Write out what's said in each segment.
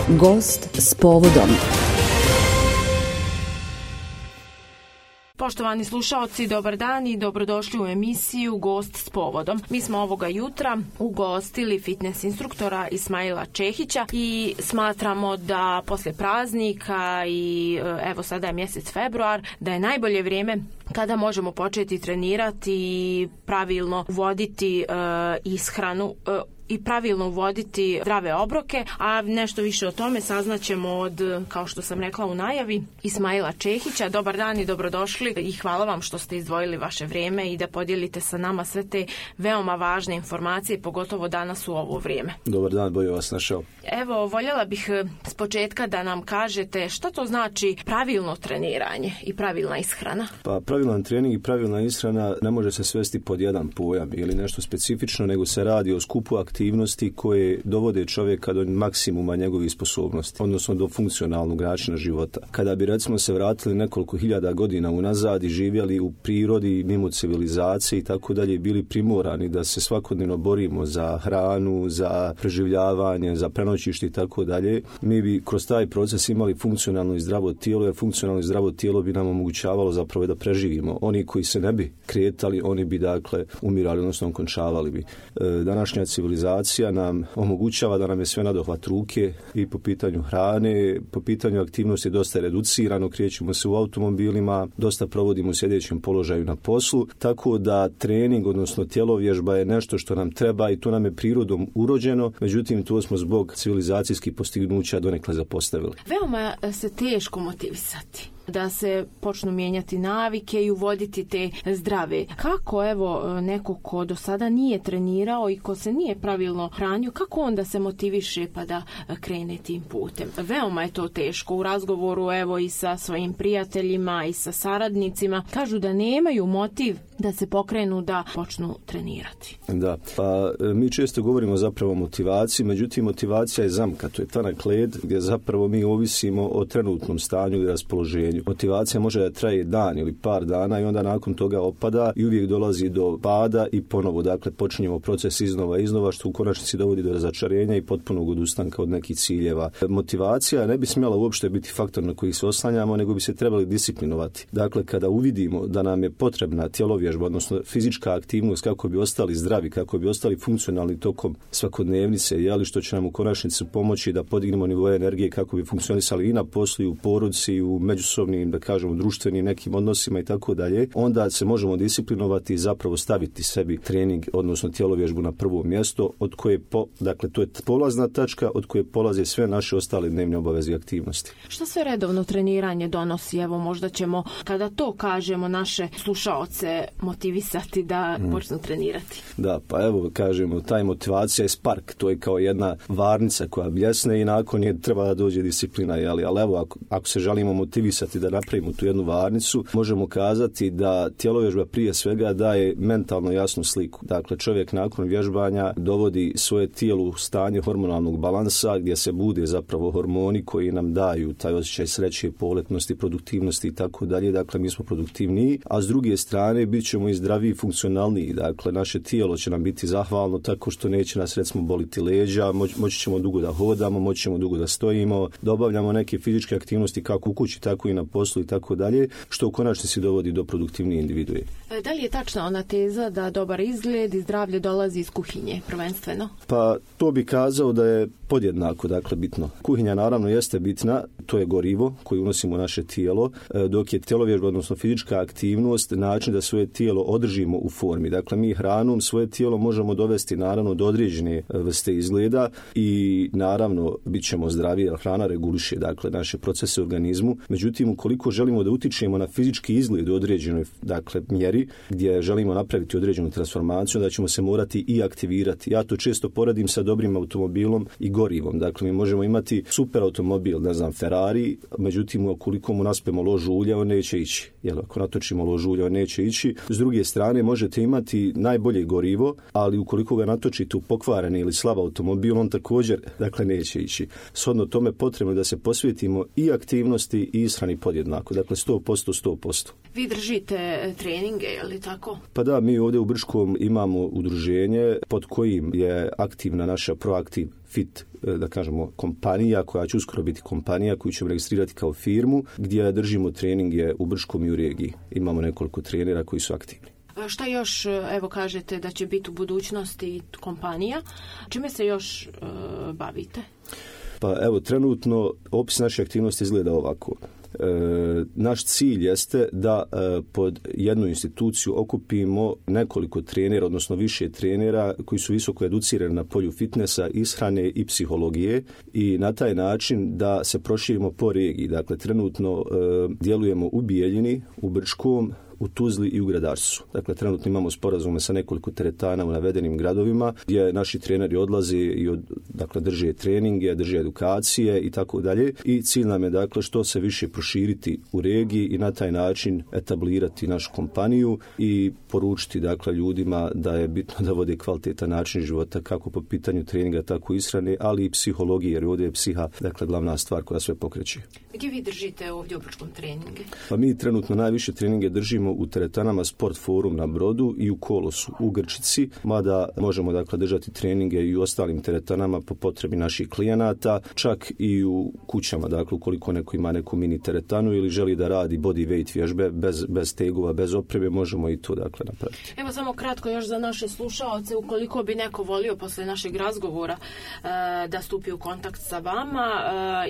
Gost s povodom. Poštovani slušaoci, dobar dan i dobrodošli u emisiju Gost s povodom. Mi smo ovoga jutra ugostili fitness instruktora Ismaila Čehića i smatramo da poslije praznika i evo sada je mjesec februar, da je najbolje vrijeme kada možemo početi trenirati i pravilno voditi ishranu i pravilno uvoditi zdrave obroke, a nešto više o tome saznaćemo od, kao što sam rekla u najavi, Ismaila Čehića. Dobar dan i dobrodošli i hvala vam što ste izdvojili vaše vrijeme i da podijelite sa nama sve te veoma važne informacije, pogotovo danas u ovo vrijeme. Dobar dan, bolje vas našao. Evo, voljela bih s početka da nam kažete šta to znači pravilno treniranje i pravilna ishrana. Pa pravilan trening i pravilna ishrana ne može se svesti pod jedan pojam ili nešto specifično, nego se radi o skupu aktivnosti koje dovode čovjeka do maksimuma njegovih sposobnosti, odnosno do funkcionalnog načina života. Kada bi recimo se vratili nekoliko hiljada godina unazad i živjeli u prirodi mimo civilizacije i tako dalje, bili primorani da se svakodnevno borimo za hranu, za preživljavanje, za prenoćište i tako dalje, mi bi kroz taj proces imali funkcionalno i zdravo tijelo, jer funkcionalno i zdravo tijelo bi nam omogućavalo zapravo da preživimo. Oni koji se ne bi kretali, oni bi dakle umirali, odnosno končavali bi. Današnja civilizacija nam omogućava da nam je sve nadohvat ruke i po pitanju hrane, po pitanju aktivnosti dosta reducirano, krećemo se u automobilima, dosta provodimo u sjedećem položaju na poslu, tako da trening, odnosno tjelovježba je nešto što nam treba i to nam je prirodom urođeno, međutim to smo zbog civilizacijskih postignuća donekle zapostavili. Veoma se teško motivisati da se počnu mijenjati navike i uvoditi te zdrave. Kako evo neko ko do sada nije trenirao i ko se nije pravilno hranio, kako onda se motiviše pa da krene tim putem? Veoma je to teško. U razgovoru evo i sa svojim prijateljima i sa saradnicima kažu da nemaju motiv da se pokrenu da počnu trenirati. Da, pa mi često govorimo zapravo o motivaciji, međutim motivacija je zamka, to je tanak led gdje zapravo mi ovisimo o trenutnom stanju i raspoloženju. Motivacija može da traje dan ili par dana i onda nakon toga opada i uvijek dolazi do pada i ponovo, dakle počinjemo proces iznova, što u konačnici dovodi do razočarenja i potpunog odustanka od nekih ciljeva. Motivacija ne bi smjela uopšte biti faktor na koji se oslanjamo, nego bi se trebali disciplinovati. Dakle, kada uvidimo da nam je potrebna tjelovježba, odnosno fizička aktivnost kako bi ostali zdravi, kako bi ostali funkcionalni tokom svakodnevnice, što će nam u konačnici pomoći da podignemo nivoe energije kako bi funkcionisali i na poslu i u porodici i u međusobnim, da kažemo, društvenim nekim odnosima i tako dalje, onda se možemo disciplinovati i zapravo staviti sebi trening, odnosno tjelovježbu na prvo mjesto, od koje dakle to je polazna tačka od koje polaze sve naše ostale dnevne obaveze i aktivnosti. Što sve redovno treniranje donosi? Evo, možda ćemo, kada to kažemo, naše slušaoce motivisati da počnu trenirati. Da, pa evo kažemo, taj motivacija je spark, to je kao jedna varnica koja bljesne i nakon je treba da dođe disciplina, ali evo ako se želimo motivisati da napravimo tu jednu varnicu, možemo kazati da tjelovježba prije svega daje mentalno jasnu sliku. Dakle, čovjek nakon vježbanja dovodi svoje tijelo u stanje hormonalnog balansa gdje se bude zapravo hormoni koji nam daju taj osjećaj sreće, poletnosti, produktivnosti i tako dalje. Dakle, mi smo produktivniji, a s druge strane bit ćemo i zdraviji i funkcionalniji. Dakle, naše tijelo će nam biti zahvalno tako što neće nas recimo boliti leđa, moći ćemo dugo da hodamo, moći ćemo dugo da stojimo, da obavljamo neke fizičke aktivnosti kako u kući, tako i na poslu i tako dalje, što u konačnici dovodi do produktivnije individue. Da li je tačna ona teza da dobar izgled i zdravlje dolazi iz kuhinje, prvenstveno? Pa to bi kazao da je podjednako, dakle, bitno. Kuhinja naravno jeste bitna, to je gorivo koje unosimo u naše tijelo, dok je tjelovježba, odnosno fizička aktivnost, način da svoje tijelo održimo u formi. Dakle, mi hranom svoje tijelo možemo dovesti naravno do određene vrste izgleda i naravno bit ćemo zdraviji, jer hrana reguliše, dakle, naše procese u organizmu. Međutim, ukoliko želimo da utičemo na fizički izgled u određenoj, dakle, mjeri gdje želimo napraviti određenu transformaciju, da ćemo se morati i aktivirati. Ja to često poredim sa dobrim automobilom i gorivom. Dakle, mi možemo imati super automobil, ne znam, Ferrari, međutim, ukoliko mu naspemo lož ulja, on neće ići. Jer ako natočimo lož ulja, on neće ići. S druge strane, možete imati najbolje gorivo, ali ukoliko ga natočite u pokvareni ili slab automobil, on također, dakle, neće ići. Shodno tome potrebno je da se posvetimo i aktivnosti i ishrani podjednako. Dakle, 100%. Vi držite treninge, je li tako? Pa da, mi ovdje u Brčkom imamo udruženje pod kojim je aktivna naša Proaktiv Fit, da kažemo, kompanija koja će uskoro biti kompanija koju ćemo registrirati kao firmu, gdje držimo treninge u Brčkom i u regiji. Imamo nekoliko trenera koji su aktivni. Šta još, evo kažete da će biti u budućnosti kompanija, čime se još bavite? Pa evo, trenutno opis naše aktivnosti izgleda ovako. Naš cilj jeste da pod jednu instituciju okupimo nekoliko trenera, odnosno više trenera koji su visoko educirani na polju fitnesa, ishrane i psihologije i na taj način da se proširimo po regiji. Dakle, trenutno djelujemo u Bijeljini, u Brčkom, u Tuzli i u Gradarcu. Dakle, trenutno imamo sporazume sa nekoliko teretana u navedenim gradovima gdje naši treneri odlaze i drže treninge, drže edukacije i tako dalje. I cilj nam je dakle što se više proširiti u regiji i na taj način etablirati našu kompaniju i poručiti dakle ljudima da je bitno da vode kvalitetan način života kako po pitanju treninga, tako i ishrane, ali i psihologije, jer ovdje je psiha dakle glavna stvar koja sve pokreće. Gdje vi držite ovdje u Brčkom treninge? Pa mi trenutno najviše treninge držimo u teretanama Sport Forum na Brodu i u Kolosu u Grčici, mada možemo dakle držati treninge i u ostalim teretanama po potrebi naših klijenata, čak i u kućama, dakle ukoliko neko ima neku mini teretanu ili želi da radi body weight vježbe bez tegova, bez opreme, možemo i to dakle napraviti. Evo samo kratko još za naše slušaoce, ukoliko bi neko volio posle našeg razgovora da stupi u kontakt sa vama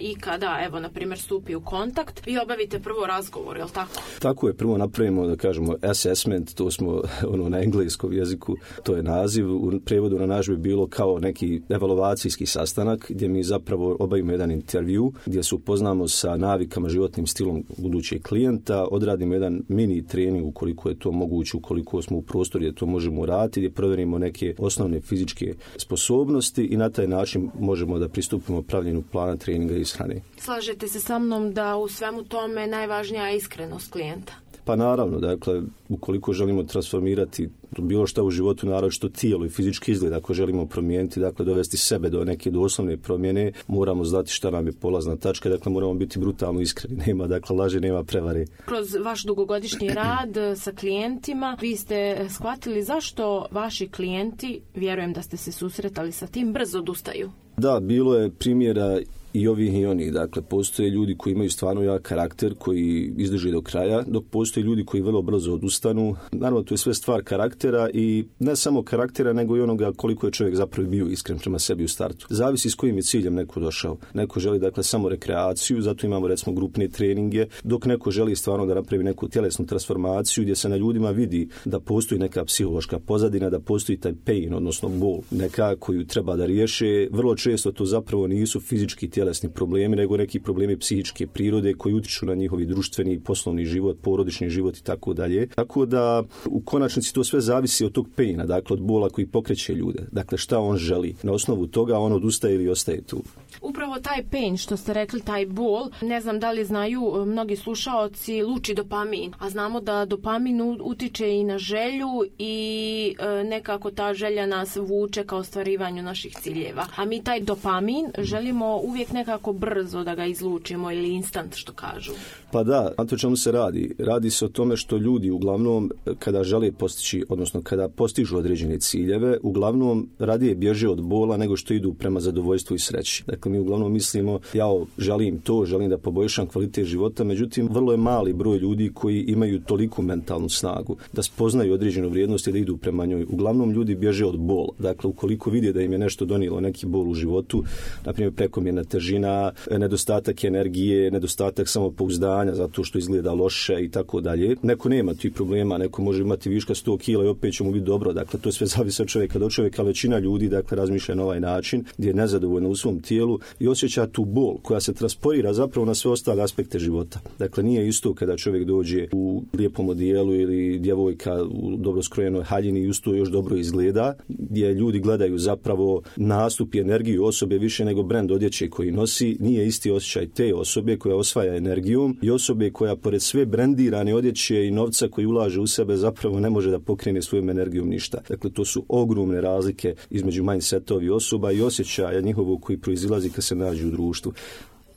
i kada, evo, na primjer, stupi u kontakt, vi obavite prvo razgovor, je li tako? Tako je, prvo napravimo, da kažemo, assessment, to smo na engleskom jeziku, to je naziv, u prevodu na naš bi bilo kao neki evaluacijski sastanak gdje mi zapravo obavimo jedan intervju gdje se upoznamo sa navikama, životnim stilom budućeg klijenta, odradimo jedan mini trening ukoliko je to moguće, ukoliko smo u prostoru gdje to možemo uraditi, gdje provjerimo neke osnovne fizičke sposobnosti i na taj način možemo da pristupimo pravljenju plana treninga i ishrane. Slažete se sa mnom da u svemu tome najvažnija je iskrenost klijenta? Pa naravno, dakle, ukoliko želimo transformirati bilo šta u životu, naravno što tijelo i fizički izgled, ako želimo promijeniti, dakle, dovesti sebe do neke doslovne promjene, moramo znati šta nam je polazna tačka, dakle, moramo biti brutalno iskreni, nema, dakle, laži, nema prevare. Kroz vaš dugogodišnji rad sa klijentima, vi ste shvatili zašto vaši klijenti, vjerujem da ste se susretali sa tim, brzo odustaju? Da, bilo je primjera i ovih i onih. Dakle, postoje ljudi koji imaju stvarno jak karakter, koji izdrže do kraja, dok postoje ljudi koji vrlo brzo odustanu. Naravno, to je sve stvar karaktera i ne samo karaktera, nego i onoga koliko je čovjek zapravo bio iskren prema sebi u startu. Zavisi s kojim je ciljem neko došao. Neko želi, dakle, samo rekreaciju, zato imamo, recimo, grupne treninge, dok neko želi stvarno da napravi neku tjelesnu transformaciju gdje se na ljudima vidi da postoji neka psihološka pozadina, da postoji taj pain, odnosno bol, neka koju treba da riješe. Vrlo često to zapravo nisu fizički tjelesni problemi, nego neki problemi psihičke prirode koji utiču na njihovi društveni, poslovni život, porodični život i tako dalje. Tako da u konačnici to sve zavisi od tog paina, dakle od bola koji pokreće ljude. Dakle, šta on želi. Na osnovu toga on odustaje ili ostaje tu. Upravo taj pain, što ste rekli, taj bol, ne znam da li znaju mnogi slušaoci, luči dopamin. A znamo da dopamin utiče i na želju i nekako ta želja nas vuče ka ostvarivanju naših ciljeva. A mi taj dopamin želimo uvijek nekako brzo da ga izlučimo ili instant, što kažu. Pa da, na to čemu se radi? Radi se o tome što ljudi uglavnom kada žele postići, odnosno kada postižu određene ciljeve, uglavnom radije bježe od bola nego što idu prema zadovoljstvu i sreći. Dakle, mi uglavnom mislimo, ja želim to, želim da poboljšam kvalitet života, međutim, vrlo je mali broj ljudi koji imaju toliku mentalnu snagu da spoznaju određenu vrijednost i da idu prema njoj. Uglavnom, ljudi bježe od bola. Dakle, ukoliko vide da im je nešto donijelo neki bol u životu, na primjer prekomjerna težina, nedostatak energije, nedostatak samopouzdanja zato što izgleda loše i tako dalje. Neko nema tih problema, neko može imati viška 100 kila i opet će mu biti dobro. Dakle, to sve zavisi od čovjeka do čovjeka. Većina ljudi, dakle, razmišlja na ovaj način gdje je nezadovoljna u svom tijelu i osjeća tu bol koja se transporira zapravo na sve ostale aspekte života. Dakle, nije isto kada čovjek dođe u lijepom odijelu ili djevojka u dobro skrojenoj haljini i usto još dobro izgleda, gdje ljudi gledaju zapravo nastup i energiju osobe više nego brend odjeće koji nosi. Nije isti osjećaj te osobe koja osvaja energijom i osobe koja pored sve brendirane odjeće i novca koji ulaže u sebe zapravo ne može da pokrene svojom energijom ništa. Dakle, to su ogromne razlike između mindsetovi osoba i osjećaja njihovog koji proizilazi kad se nađu u društvu.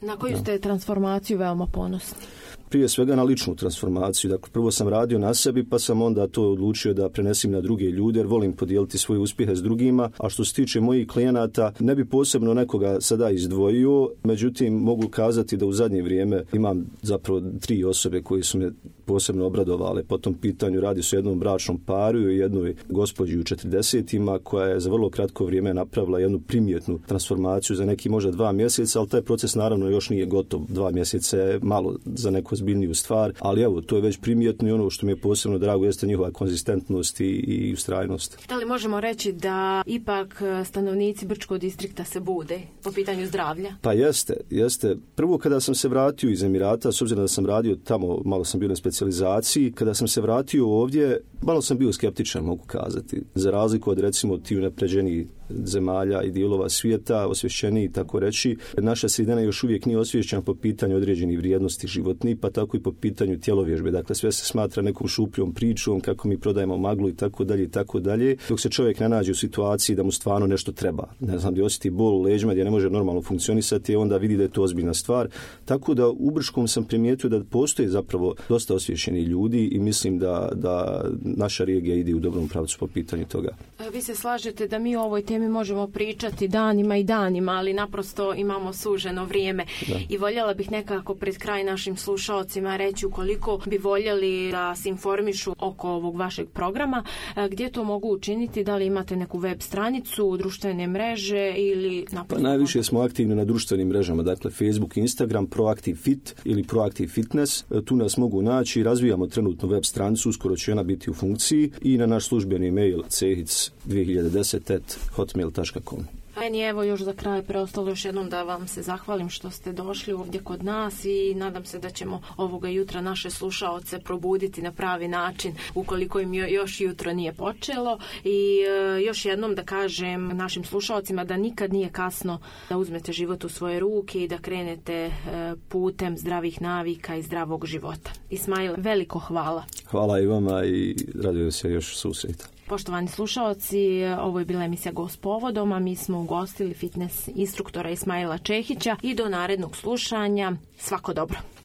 Na koju ste transformaciju veoma ponosni? prije svega na ličnu transformaciju. Dakle, prvo sam radio na sebi, pa sam onda to odlučio da prenesim na druge ljude, jer volim podijeliti svoje uspjehe s drugima. A što se tiče mojih klijenata, ne bi posebno nekoga sada izdvojio, međutim mogu kazati da u zadnje vrijeme imam zapravo 3 osobe koji su me posebno obradovale po tom pitanju. Radi se o jednom bračnom paru i jednoj gospođi u 40-ima koja je za vrlo kratko vrijeme napravila jednu primjetnu transformaciju za neki možda 2 mjeseca, ali taj proces naravno još nije gotov. 2 mjeseca je malo za neku ozbiljniju stvar, ali evo, to je već primjetno i ono što mi je posebno drago jeste njihova konzistentnost i ustrajnost. Da li možemo reći da ipak stanovnici Brčkog distrikta se bude po pitanju zdravlja? Pa jeste. Prvo kada sam se vratio iz Emirata, s obzirom da sam radio tamo, malo sam bio na specijalizaciji, kada sam se vratio ovdje, malo sam bio skeptičan, mogu kazati. Za razliku od recimo ti unapređenijih zemalja i dijelova svijeta, osvješćeniji tako reći, naša sredina još uvijek nije osvješćena po pitanju određenih vrijednosti životnih, pa tako i po pitanju tjelovježbe. Dakle, sve se smatra nekom šupljom pričom, kako mi prodajemo maglu i tako dalje, dok se čovjek ne nađe u situaciji da mu stvarno nešto treba. Ne znam, gdje osjeti bol u leđima, gdje ne može normalno funkcionisati, onda vidi da je to ozbiljna stvar. Tako da u Brčkom sam primijetio da postoje zapravo dosta osvješćeni ljudi i mislim da naša regija ide u dobrom pravcu po pitanju toga. Vi se slažete da mi o ovoj temi možemo pričati danima i danima, ali naprosto imamo suženo vrijeme. Da. I voljela bih nekako pred kraj našim slušalcima reći ukoliko bi voljeli da se informišu oko ovog vašeg programa, gdje to mogu učiniti, da li imate neku web stranicu, društvene mreže ili naprosto... Najviše smo aktivni na društvenim mrežama, dakle Facebook, Instagram, Proactive Fit ili Proactive Fitness. Tu nas mogu naći, razvijamo trenutno web stranicu, uskoro će ona biti u funkciji i na naš službeni mail cehic2010@hotmail.com. Meni evo još za kraj preostalo još jednom da vam se zahvalim što ste došli ovdje kod nas i nadam se da ćemo ovoga jutra naše slušaoce probuditi na pravi način ukoliko im još jutro nije počelo i još jednom da kažem našim slušaocima da nikad nije kasno da uzmete život u svoje ruke i da krenete putem zdravih navika i zdravog života. Ismail, veliko hvala. Hvala i vama i radujem se još susreta. Poštovani slušaoci, ovo je bila emisija Gost povodom, a mi smo ugostili fitness instruktora Ismaila Čehića i do narednog slušanja. Svako dobro.